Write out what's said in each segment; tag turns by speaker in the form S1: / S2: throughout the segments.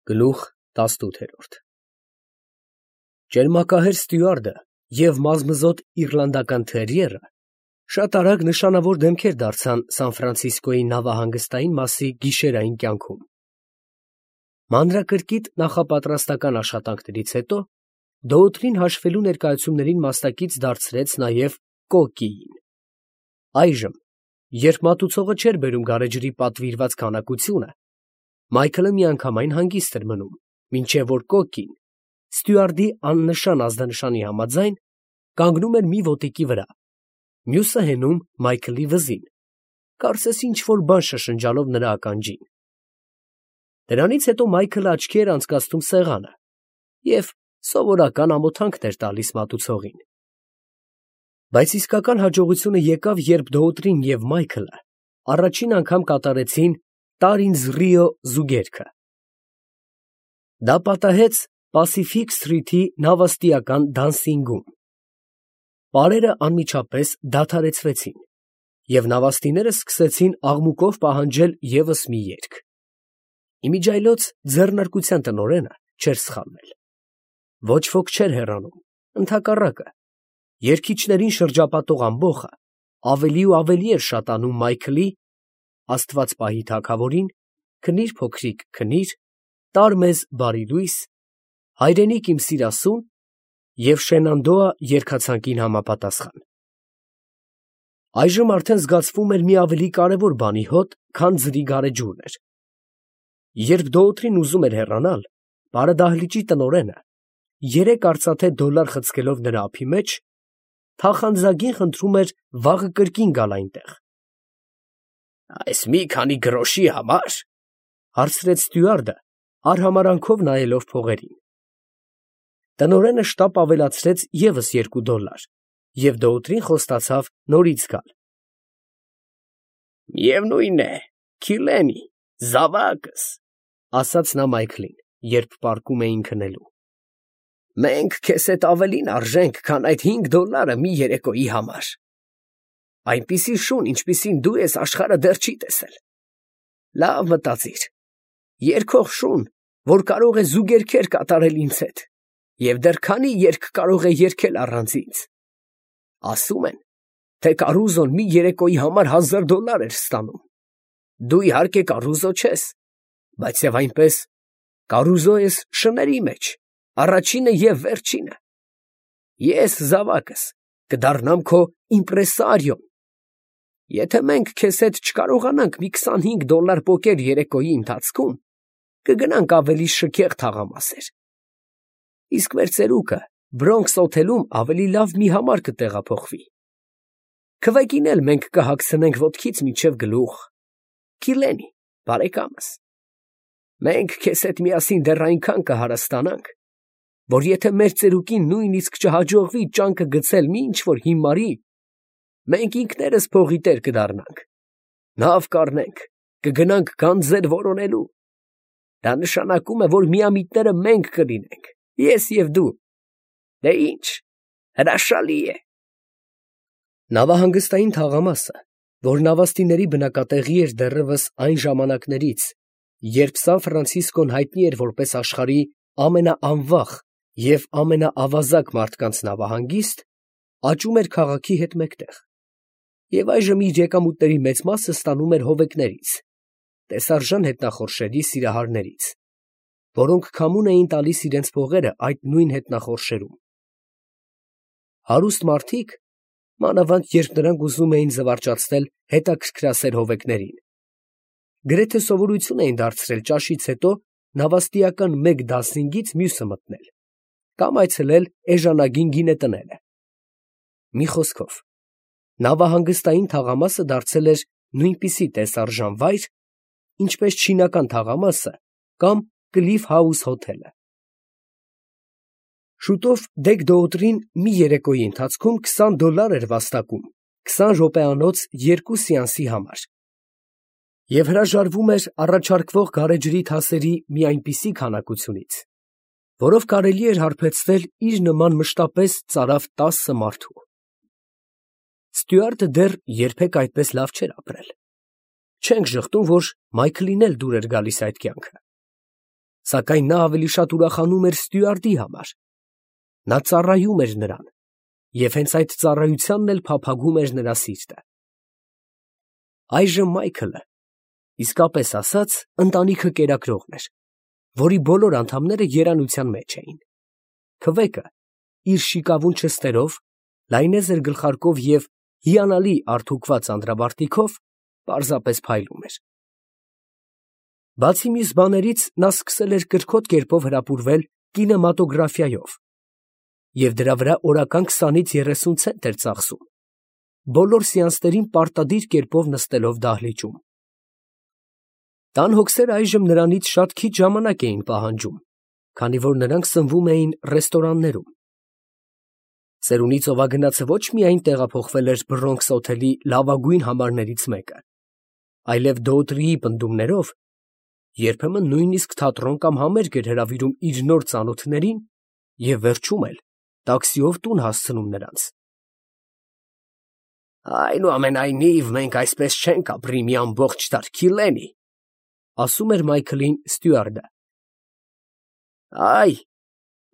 S1: Գլուխ 18 Ճերմակահեր ստյուարդը և մազմզոտ իռլանդական թերիերը շատ արագ նշանավոր դեմքեր դարձան Սան Ֆրանցիսկոյի նավահանգստային մասի գիշերային կյանքում։ Մանրակրկիտ նախապատրաստական աշխատանքներից հետո Դոութրին հաշվելու ներկայացումներին մասնակից դարձրեց նաև Կոկիին։ Այժմ, երբ մատուցողը չէր բերում գարեջրի պատվիրված քանակությունը, Մայքլը միանգամայն հանգիստ էր մնում, մինչև որ Կոկին, ստյուարդի աննշան ազդանշանի համաձայն, կանգնում էր մի ոտիկի վրա, մյուսը հենում Մայքլի վզին, կարծես ինչ-որ բան շշնջալով նրա ականջին։ Դրանից հետո Մայքլը աչքի էր անցկացնում սեղանը և սովորական ամոթանքներ տալիս մատուցողին։ Բայց իսկական հաջողությունը եկավ, երբ Դոութրին և Մայքլը առաջին անգամ կատարեցին «Տար ինձ Ռիո» զուգերքը։ Դա պատահեց Պասիֆիկ սթրիթի նավաստիական դանսինգում։ Պարերը անմիջապես դադարեցվեցին, և նավաստիները սկսեցին աղմուկով պահանջել ևս մի երգ։ Իմիջիայլոց ձեռնարկության տնօրենը չէր սխալվել։ Ոչ ոք չէր հեռանում, ընդհակառակը, երգիչներին շրջապատող ամբոխը ավելի ու ավելի էր շատանում Մայքլի «Աստված պահի թագավորին», «Քնի՛ր փոքրիկ, քնի՛ր», «Տար մեզ բարի լույս», «Հայրենիք իմ սիրասուն» և «Շենանդոա» երգացանկին համապատասխան։ Այժմ արդեն զգացվում էր մի ավելի կարևոր բանի հոտ, քան ձրի գարեջուրն էր։ Երբ Դոութրին ուզում էր հեռանալ, բարեդահլիճի տնօրենը, 3 արծաթե դոլար խցկելով նրա ափի մեջ, թախանձագին խնդրում էր վաղը կրկին գալ այնտեղ։ «Այս մի քանի գրոշի համար» հարցրեց ստյուարդը, արհամարհանքով նայելով փողերին։ Տնօրենը շտապ ավելացրեց ևս 2 դոլար, և Դոութրին խոստացավ նորից գալ։ «Միևնույն է, Քիլենի, զավակս», ասաց նա Մայքլին, երբ պառկում էին քնելու։ «Մենք քեզ հետ ավելին արժենք, քան այդ 5 դոլարը մի երեկոյի համար։ Այնպիսի շուն, ինչպիսին դու ես, աշխարհը դեռ չի տեսել։ Լավ մտածիր. երգող շուն, որ կարող է զուգերգեր կատարել ինձ հետ, և դեռ քանի երգ կարող է երգել առանց ինձ։ Ասում են, թե Կարուզոն մի երեկոյի համար 1000 դոլար էր ստանում։ Դու իհարկե Կարուզո չես, բայց և այնպես Կարուզո ես շների մեջ, առաջինը և վերջինը։ Ես, զավակս, կդառնամ քո իմպրեսարիոն։ Եթե մենք քեզ հետ չկարողանանք մի 25 դոլար պոկել երեկոյի ընթացքում, կգնանք ավելի շքեղ թաղամասեր։ Իսկ մեր Բրոնքս օթելում ավելի լավ մի համար կտեղափոխվի։ Քվեքին էլ մենք կհագցնենք ոտքից մինչև գլուխ։ Քիլենի, բարեկամս, մենք քեզ հետ միասին դեռ այնքան կհարստանանք, որ եթե մեր ծերուկին նույնիսկ չհաջողվի ճանկը գցել մի ինչ֊որ հիմարի, մենք ինքներս փողի տեր կդառնանք, նավ կառնենք, կգնանք գանձեր որոնելու։ Դա նշանակում է, որ միամիտները մենք կլինենք, ես և դու։ Դե ինչ, հրաշալի է։ Նավահանգստային թաղամասը, որ նավաստիների բնակատեղի էր դեռևս այն ժամանակներից, երբ Սան Ֆրանցիսկոն հայտնի էր որպես աշխարհի ամենաանվախ և ամենաավազակ մարդկանց նավահանգիստ, աճում էր քաղաքի հետ մեկտեղ, և այժմ իր եկամուտների մեծ մասը ստանում էր հովեկներից, տեսարժան հետնախորշերի սիրահարներից, որոնք քամուն էին տալիս իրենց փողերը այդ նույն հետնախորշերում։ Հարուստ մարդիկ, մանավանդ երբ նրանք ուզում էին զվարճացնել հետաքրքրասեր հովեկներին, գրեթե սովորություն էին դարձրել ճաշից հետո նավաստիական մեկ դասինգից մյուսը մտնել, կամ այցելել էժանագին գինետները։ Մի խոսքով, նավահանգստային թաղամասը դարձել էր նույնպիսի տեսարժան վայր, ինչպես չինական թաղամասը կամ Կլիֆ Հաուս հոթելը։ Շուտով Դեգ Դոութրին մի երեկոյի ընթացքում 20 դոլար էր վաստակում 20 րոպեանոց 2 սեանսի համար, և հրաժարվում էր առաջարկվող գարեջրի թասերի մի այնպիսի քանակությունից, որով կարելի էր հարբեցնել իր նման մշտապես ծարավ 10 մարդու։ Ստյուարտը դեռ երբեք այդպես լավ չէր ապրել։ Չենք ժխտում, որ Մայքլին էլ դուր էր գալիս այդ կյանքը։ սակայն նա ավելի շատ ուրախանում էր ստյուարդի համար։ Նա ծառայում էր նրան, և հենց այդ ծառայությանն էլ փափագում էր նրա սիրտը։ Այժմ Մայքլը, իսկապես ասած, ընտանիքը կերակրողն էր, որի բոլոր անդամները երանության մեջ էին։ Քվեկը իր շիկավուն չստերով, լայնեզր գլխարկով և հիանալի արդուկված անդրավարտիքով պարզապես փայլում էր։ Բացի մյուս բաներից, նա սկսել էր կրքոտ կերպով հրապուրվել կինեմատոգրաֆիայով և դրա վրա օրական 20-ից 30 ցենտ էր ծախսում, բոլոր սեանսներին պարտադիր կերպով նստելով դահլիճում։ Տան հոգսերը այժմ նրանից շատ քիչ ժամանակ էին պահանջում, քանի որ նրանք սնվում էին ռեստորաններում։ Ծերունի ծովագնացը ոչ միայն տեղափոխվել էր Բրոնքս օթելի լավագույն համարներից մեկը, այլև Դոուտրիի պնդումներով, երբեմն նույնիսկ թատրոն կամ համերգ էր հրավիրում իր նոր ծանոթներին և վերջում էլ տաքսիով տուն հասցնում նրանց։ «Այնուամենայնիվ, մենք այսպես չենք ապրի մի ամբողջ դար, Քիլենի», ասում էր Մայքլին ստյուարդը։ «Այ,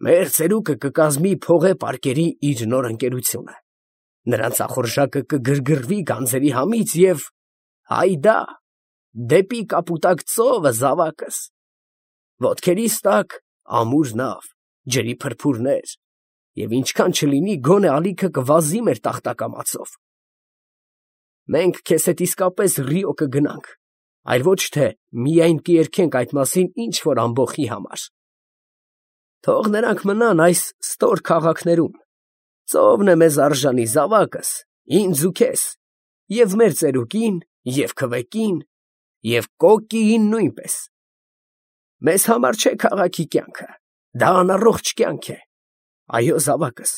S1: մեր ծերուկը կկազմի փողե֊պարկերի իր նոր ընկերությունը, նրա ծախորժակը կգրգռվի գանձերի համից և… հայդա, դեպի կապուտակ ծովը, զավակս, ոտքերիս տակ ամուր նավ, ջրի փրփուրներ, և ինչքան չլինի, գոնե ալիքը կվազի մեր տախտակամածով։ Մենք քեզ հետ իսկապես Ռիո կգնանք, այլ ոչ թե միայն կերքենք այդ մասին ինչ֊որ ամբոխի համար։ Թող նրանք մնան այս ստոր քաղաքներում, ծովն է մեզ արժանի, զավակս, ինձ ու քեզ, և մեր ծերուկին, և քվեկին, և կոկկիին նույնպես։ Մեզ համար չէ քաղաքի կյանքը, դա անառողջ կյանք է։ Այո, զավակս,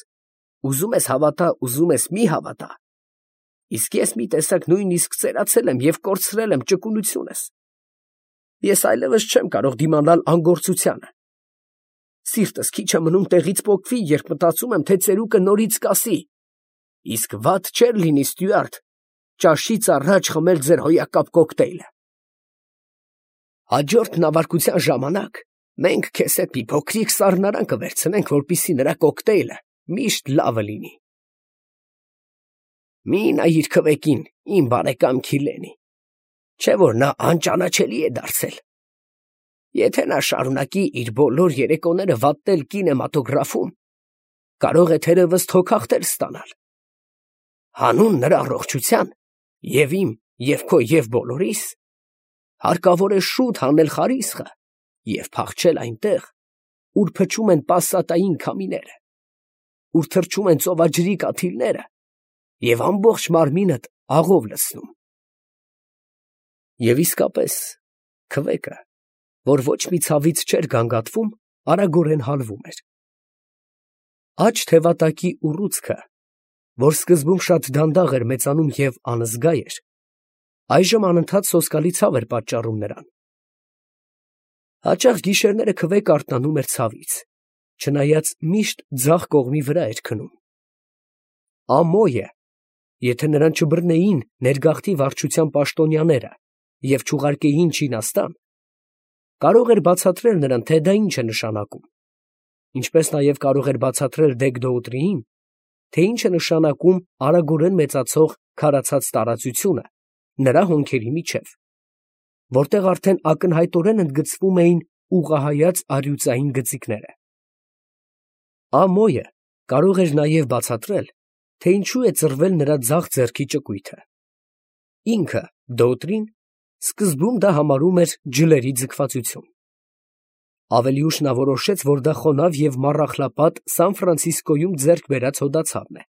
S1: ուզում ես հավատա, ուզում ես մի հավատա, իսկ ես մի տեսակ նույնիսկ ծերացել եմ և կորցրել եմ ճկունությունս։ Ես այլևս չեմ կարող դիմանալ անգործությանը։ Սիրտս քիչ է մնում տեղից պոկվի, երբ մտածում եմ, թե ծերուկը նորից կասի. «Իսկ վատ չէր լինի, ստյուարդ, ճաշից առաջ խմել ձեր հոյակապ կոկտեյլը»։ Հաջորդ նավարկության ժամանակ մենք քեզ հետ մի փոքրիկ սառնարան կվերցնենք, որպեսզի նրա կոկտեյլը միշտ լավը լինի։ Մի նայիր քվեկին, իմ բարեկամ Քիլենի, չէ՞ որ նա անճանաչելի է դարձել։ Եթե նա շարունակի իր բոլոր երեկոները վատնել կինեմատոգրաֆում, կարող է թերևս թոքախտեր ստանալ։ Հանուն նրա առողջության, և իմ, և քո, և բոլորիս, հարկավոր է շուտ հանել խարիսխը և փախչել այնտեղ, ուր փչում են պասատային քամիները, ուր թռչում են ծովաջրի կաթիլները և ամբողջ մարմինդ աղով լցնում։ Եվ իսկապես, քվեկը, որ ոչ մի ցավից չէր գանգատվում, արագորեն հալվում էր։ Աջ թևատակի ուռուցքը, որ սկզբում շատ դանդաղ էր մեծանում և անզգա էր, այժմ անընդհատ սոսկալի ցավ էր պատճառում նրան։ Հաճախ գիշերները քվեկը արթնանում էր ցավից, չնայած միշտ ձախ կողմի վրա էր քնում։ Ամոյը, եթե նրան չբռնեին ներգաղթի վարչության պաշտոնյաները և չուղարկեին Չինաստան, կարող էր բացատրել նրան, թե դա ինչ է նշանակում, ինչպես նաև կարող էր բացատրել Դեգ֊Դոուտրիին, թե ինչ է նշանակում արագորեն մեծացող քարացած տարածությունը նրա հոնքերի միջև, որտեղ արդեն ակնհայտորեն ընդգծվում էին ուղղահայաց առյուծային գծիկները։ Ամոյը կարող էր նաև բացատրել, թե ինչու է ծռվել նրա ձախ ձեռքի ճկույթը։ Ինքը, Դոուտրին, սկզբում դա համարում էր ջլերի ձգվածություն։ Ավելի ուշ նա որոշեց, որ դա խոնավ և մառախլապատ Սան Ֆրանցիսկոյում ձեռք բերած հոդացավն է։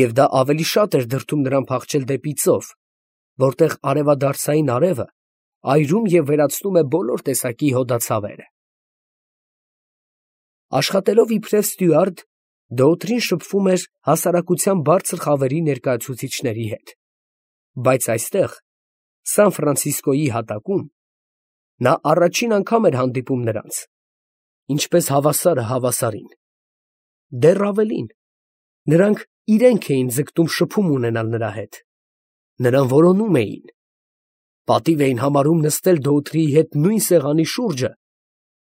S1: Եվ դա ավելի շատ էր դրդում նրան փախչել դեպի ծով, որտեղ արևադարձային արևը այրում և վերացնում է բոլոր տեսակի հոդացավերը։ Աշխատելով իբրև ստյուարդ, Դոուտրին շփվում էր հասարակության բարձր խավերի ներկայացուցիչների հետ, բայց այստեղ, Սան Ֆրանցիսկոյի հատակում, նա առաջին անգամ էր հանդիպում նրանց, ինչպես հավասարը հավասարին։ Դեռ ավելին, նրանք իրենք էին ձգտում շփում ունենալ նրա հետ, նրան որոնում էին, պատիվ էին համարում նստել Դոուտրիի հետ նույն սեղանի շուրջը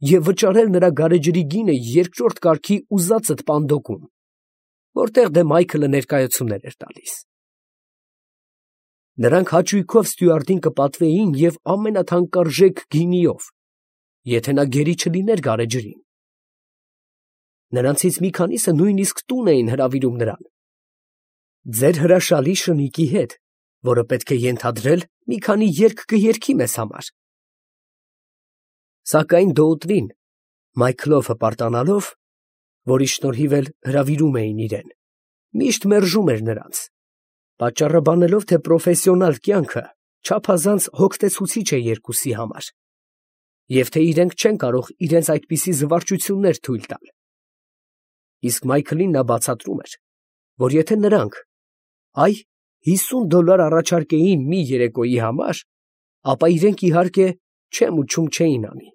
S1: և վճարել նրա գարեջրի գինը երկրորդ կարգի ուզածդ պանդոկում, որտեղ դե Մայքլը ներկայություններ էր տալիս։ Նրանք հաճույքով ստյուարդին կպատվեին և ամենաթանկարժեք գինիով, եթե նա գերի չլիներ գարեջրին։ Նրանցից մի քանիսը նույնիսկ տուն էին հրավիրում նրան։ Ձեր հրաշալի շնիկի հետ, որը պետք է ենթադրել մի քանի երգ կերգի մեզ համար։ Սակայն դոուտրին, Մայքլով հպարտանալով, որի շնորհիվ էլ հրավիրում էին իրեն, միշտ մերժում էր նրանց, պատճառը բանելով, թե պրոֆեսիոնալ կյանքը չափազանց հոգնեցուցիչ է երկուսի համար, և թե իրենք չեն կարող իրենց այդպիսի զվարճություններ թույլ տալ։ Իսկ Մայքլին նա բացատրում էր, որ եթե նրանք $50 առաջարկեին մի երեկոյի համար, ապա իրենք իհարկե չեմ ու չում չէին անի։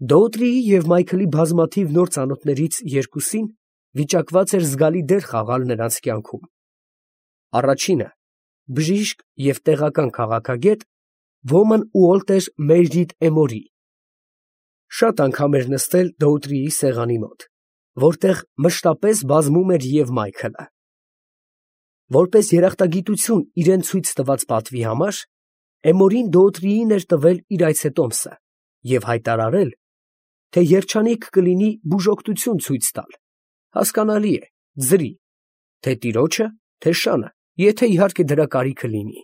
S1: Դոուտրիի և Մայքլի բազմաթիվ նոր ծանոթներից երկուսին վիճակված էր զգալի դեր խաղալ նրանց կյանքում։ Առաջինը բժիշկ և տեղական քաղաքագետ Ոման Ուոլտեր Մերիդ Էմորի շատ անգամ էր նստել Դոուտրիի սեղանի մոտ, որտեղ մշտապես բազմում էր և Մայքլը։ Որպես երախտագիտություն իրան ցույց տված պատվի համար, Էմորին Դոուտրիին էր տվել իր այցետոմսը և հայտարարել, թե երջանիկ կլինի բուժօգնություն ցույց տալ, հասկանալի է, ձրի, թե տիրոջը, թե շանը, եթե իհարկե դրա կարիքը լինի։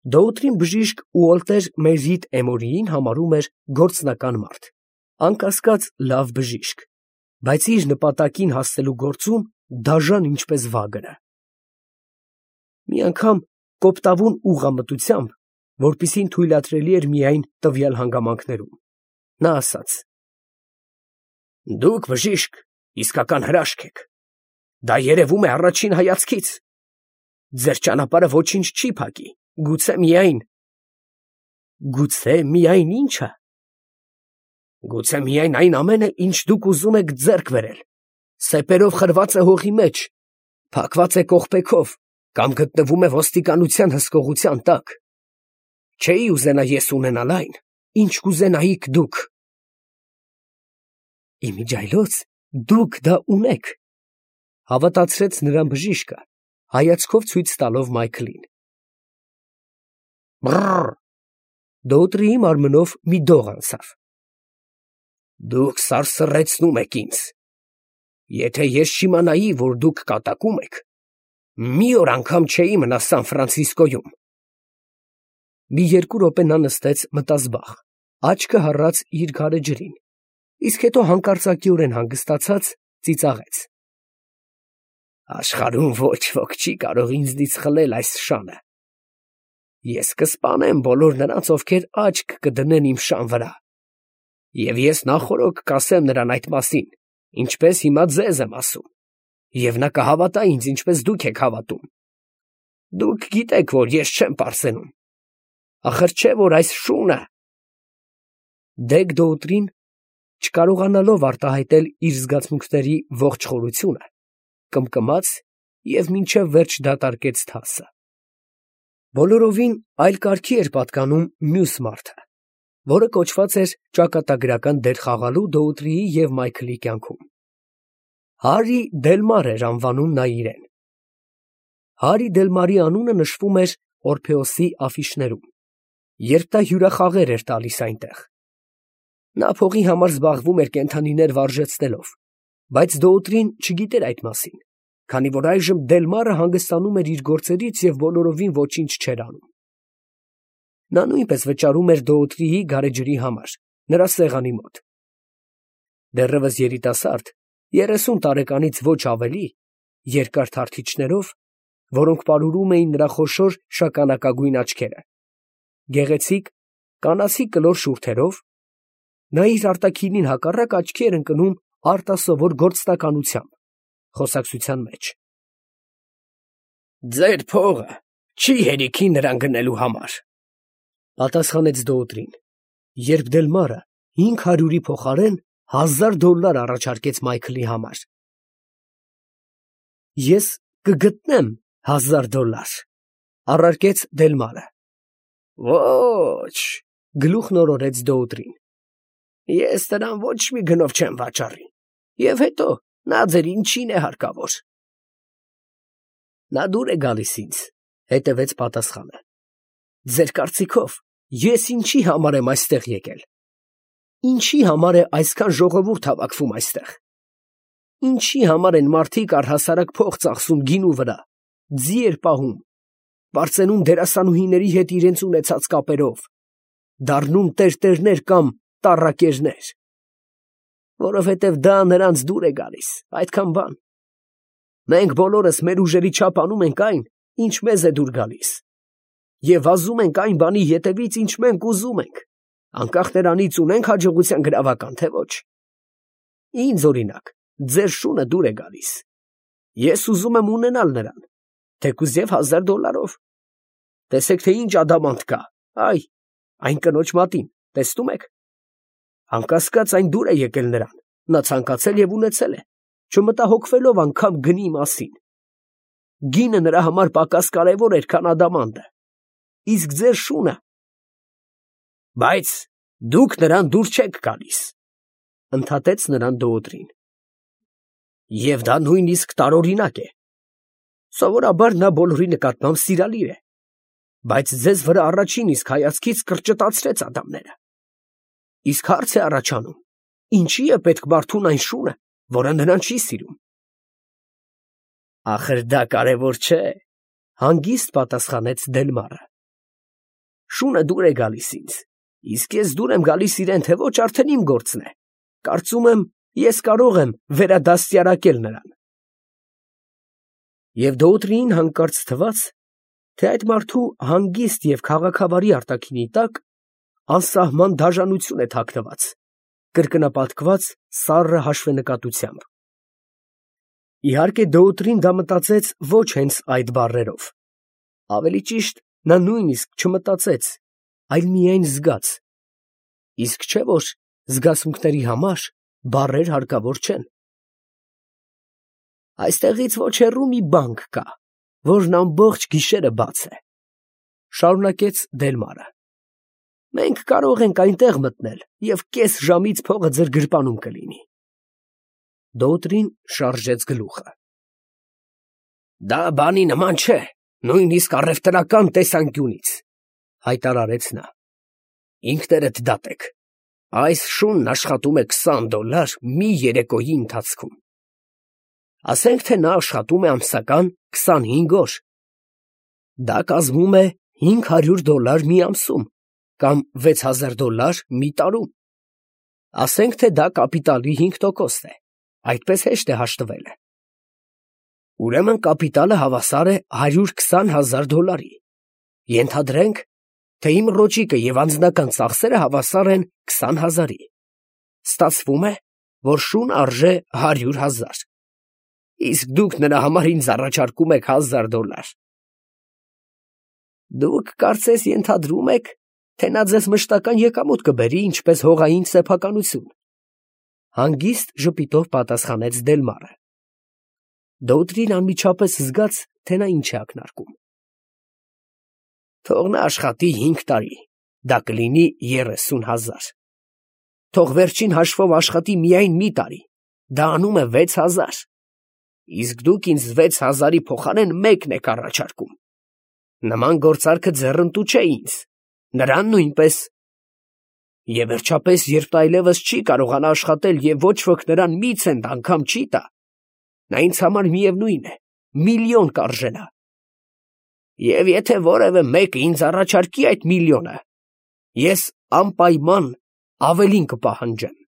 S1: Դոուտրին բժիշկ Ուոլտեր Մերիդ Էմորիին համարում էր գործնական մարդ, անկասկած լավ բժիշկ, բայց իր նպատակին հասնելու գործում դաժան ինչպես վագրը։ Մի անգամ կոպտավուն ուղղամտությամբ, որպեսզի թույլատրելի էր միայն տվյալ հանգամանքներում, նա ասաց. «Դուք բժիշկ իսկական հրաշք եք, դա երևում է առաջին հայացքից, ձեր ճանապարհը ոչինչ չի փակի, գուցե միայն ի՞նչը, գուցե միայն այն ամենը, ինչ դուք ուզում եք ձեռք բերել, սեպերով խրված է հողի մեջ, փակված է կողպեքով կամ գտնվում է ոստիկանության հսկողության տակ։ Չէի ուզենա ես ունենալ այն, ինչ կուզենայիք դուք»։ Իմիջիայլոց դուք դա ունեք, հավատացրեց նրան բժիշկը, հայացքով ցույց տալով Մայքլին։ Բռռ։ Դոուտրիի մարմնով մի դող անցավ։ Դուք սարսռեցնում եք ինձ։ Եթե ես չիմանայի, որ դուք կատակում եք, մի օր անգամ չէի մնա Սան Ֆրանցիսկոյում։ Մի երկու րոպե նա նստեց մտազբաղ, աչքը հառած իր գարեջրին, իսկ հետո հանկարծակիորեն հանգստացած ծիծաղեց. Աշխարհում ոչ ոք չի կարող ինձնից խլել այս շանը։ Ես կսպանեմ բոլոր նրանց, ովքեր աչք կդնեն իմ շան վրա, և ես նախօրոք կասեմ նրան այդ մասին, ինչպես հիմա ձեզ եմ ասում, և նա կհավատա ինձ, ինչպես դուք եք հավատում։ Դուք գիտեք, որ ես չեմ պարծենում, ախր չէ՞ որ այս շունը… Դեգ Դոուտրին, չկարողանալով արտահայտել իր զգացմունքների ողջ խորությունը, կմկմաց և մինչև վերջ դատարկեց թասը։ Բոլորովին այլ կարգի էր պատկանում մյուս մարդը, որը կոչված էր ճակատագրական դեր խաղալու Դոուտրիի և Մայքլի կյանքում։ Հարի Դելմար էր անվանում նա իրեն։ Հարի Դելմարի անունը նշվում էր Օրփեոսի աֆիշներում, երբ նա հյուրախաղեր էր տալիս այնտեղ։ Նա փողի համար զբաղվում էր կենդանիներ վարժեցնելով, բայց Դոուտրին չգիտեր այդ մասին, քանի որ այժմ Դելմարը հանգստանում էր իր գործերից և բոլորովին ոչինչ չէր անում։ Նա նույնպես վճարում էր Դոուտրիի գարեջրի համար, նրա սեղանի մոտ։ Դեռևս երիտասարդ, 30 տարեկանից ոչ ավելի, երկար թարթիչներով, որոնք պարուրում էին նրա խոշոր շագանակագույն աչքերը, գեղեցիկ, կանացի կլոր շուրթերով, նա իր արտաքինին հակառակ աչքի էր ընկնում արտասովոր գործնականությամբ, խոսակցության մեջ։ Ձեր փողը չի հերիքի նրան գնելու համար, պատասխանեց Դոուտրին, երբ Դելմարը 500-ի փոխարեն $1000 առաջարկեց Մայքլի համար։ Ես կգտնեմ $1000, առարկեց Դելմարը։ Ոչ, Գլուխն օրորեց Դոուտրին։ Ես նրան ոչ մի գնով չեմ վաճառի։ Եվ հետո նա ձեր ինչին է հարկավոր։ Նա դուր է գալիս ինձ, հետևեց պատասխանը։ Ձեր կարծիքով ես ինչի համար եմ այստեղ եկել։ Ինչի համար է այսքան ժողովուրդ հավաքվում այստեղ։ Ինչի համար են մարդիկ առհասարակ փող ծախսում գինու վրա, ձիեր պահում, բարձենում դերասանուհիների հետ իրենց ունեցած կապերով, դառնում տերտերներ կամ տառակերներ, որովհետև դա նրանց դուր է գալիս, այդքան բան։ Մենք բոլորս մեր ուժերի չափ անում ենք այն, ինչ մեզ է դուր գալիս, և վազում ենք այն բանի ետևից, ինչ մենք ուզում ենք, անկախ նրանից ունենք հաջողության գրավական, թե ոչ։ Ինձ օրինակ, ձեր շունը դուր է գալիս։ Ես ուզում եմ ունենալ նրան, թեկուզ և $1000։ Տեսեք, թե ինչ ադամանտ կա, այն կնոջ մատին, տեսնում եք։ Անկասկած այն դուր է եկել նրան, նա ցանկացել և ունեցել է, չմտահոգվելով անգամ գնի մասին։ Գինը նրա համար պակաս կարևոր էր, քան ադամանդը։ Իսկ ձեր շունը… Բայց դուք նրան դուր չեք գալիս, ընդհատեց նրան Դոուտրին։ Եվ դա նույնիսկ տարօրինակ է։ Սովորաբար նա բոլորի նկատմամբ սիրալիր է, բայց ձեզ վրա առաջին իսկ հայացքից կրճտացրեց ատամները։ Իսկ հարց է առաջանում, ինչի է պետք մարդուն այն շունը, որը նրան չի սիրում։ Ախր դա կարևոր չէ, հանգիստ պատասխանեց Դելմարը։ Շունը դուր է գալիս ինձ, իսկ ես դուր եմ գալիս իրեն, թե ոչ, արդեն իմ գործն է։ Կարծում եմ, ես կարող եմ վերադաստիարակել նրան։ Եվ Դոուտրին հանկարծ թվաց, թե այդ մարդու հանգիստ և քաղաքավարի արտաքինի տակ անսահման դաժանություն է թաքնված, կրկնապատկված սառը հաշվենկատությամբ։ Իհարկե Դոուտրին դա մտածեց ոչ հենց այդ բառերով։ Ավելի ճիշտ, նա նույնիսկ չմտածեց, այլ միայն զգաց։ Իսկ չէ՞ որ զգացմունքների համար բառեր հարկավոր չեն։ Այստեղից ոչ հեռու մի բանկ կա, որն ամբողջ գիշերը բաց է, շարունակեց Դելմարը։ Մենք կարող ենք այնտեղ մտնել և կես ժամից փողը ձեր գրպանում կլինի։ Դոուտրին շարժեց գլուխը։ Դա բանի նման չէ, նույնիսկ առևտրական տեսանկյունից, հայտարարեց նա։ Ինքներդ դատեք, այս շունն աշխատում է $20 մի երեկոյի ընթացքում։ Ասենք, թե նա աշխատում է ամսական 25 օր։ Դա կազմում է $500 մի ամսում, կամ $6000 մի տարում։ Ասենք, թե դա կապիտալի 5% է, այդպես հեշտ է հաշտվելը։ Ուրեմն կապիտալը հավասար է $120,000։ Ենթադրենք, թե իմ ռոճիկը և անձնական ծախսերը հավասար են 20,000-ի։ Ստացվում է, որ շունը արժե 100,000։ Իսկ դուք նրա համար ինձ առաջարկում եք $1000։ Դուք կարծես ենթադրում եք, թե նա ձեզ մշտական եկամուտ կբերի, ինչպես հողային սեփականություն։ Հանգիստ ժպիտով պատասխանեց Դելմարը։ Դոուտրին անմիջապես զգաց, թե նա ինչ է ակնարկում։ Թող նա աշխատի 5 տարի, դա կլինի 30,000։ Թող վերջին հաշվով աշխատի միայն մի տարի, դա անում է 6,000։ Իսկ դուք ինձ 6,000-ի փոխարեն 1 եք առաջարկում։ Նման գործարքը ձեռնտու չէ ինձ, նրան նույնպես։ Եվ վերջապես, երբ նա այլևս չի կարողանա աշխատել և ոչ ոք նրան մի ցենտ անգամ չի տա, նա ինձ համար միևնույն է, միլիոն կարժենա։ Եվ եթե որևէ մեկը ինձ առաջարկի այդ միլիոնը, ես անպայման ավելին կպահանջեմ։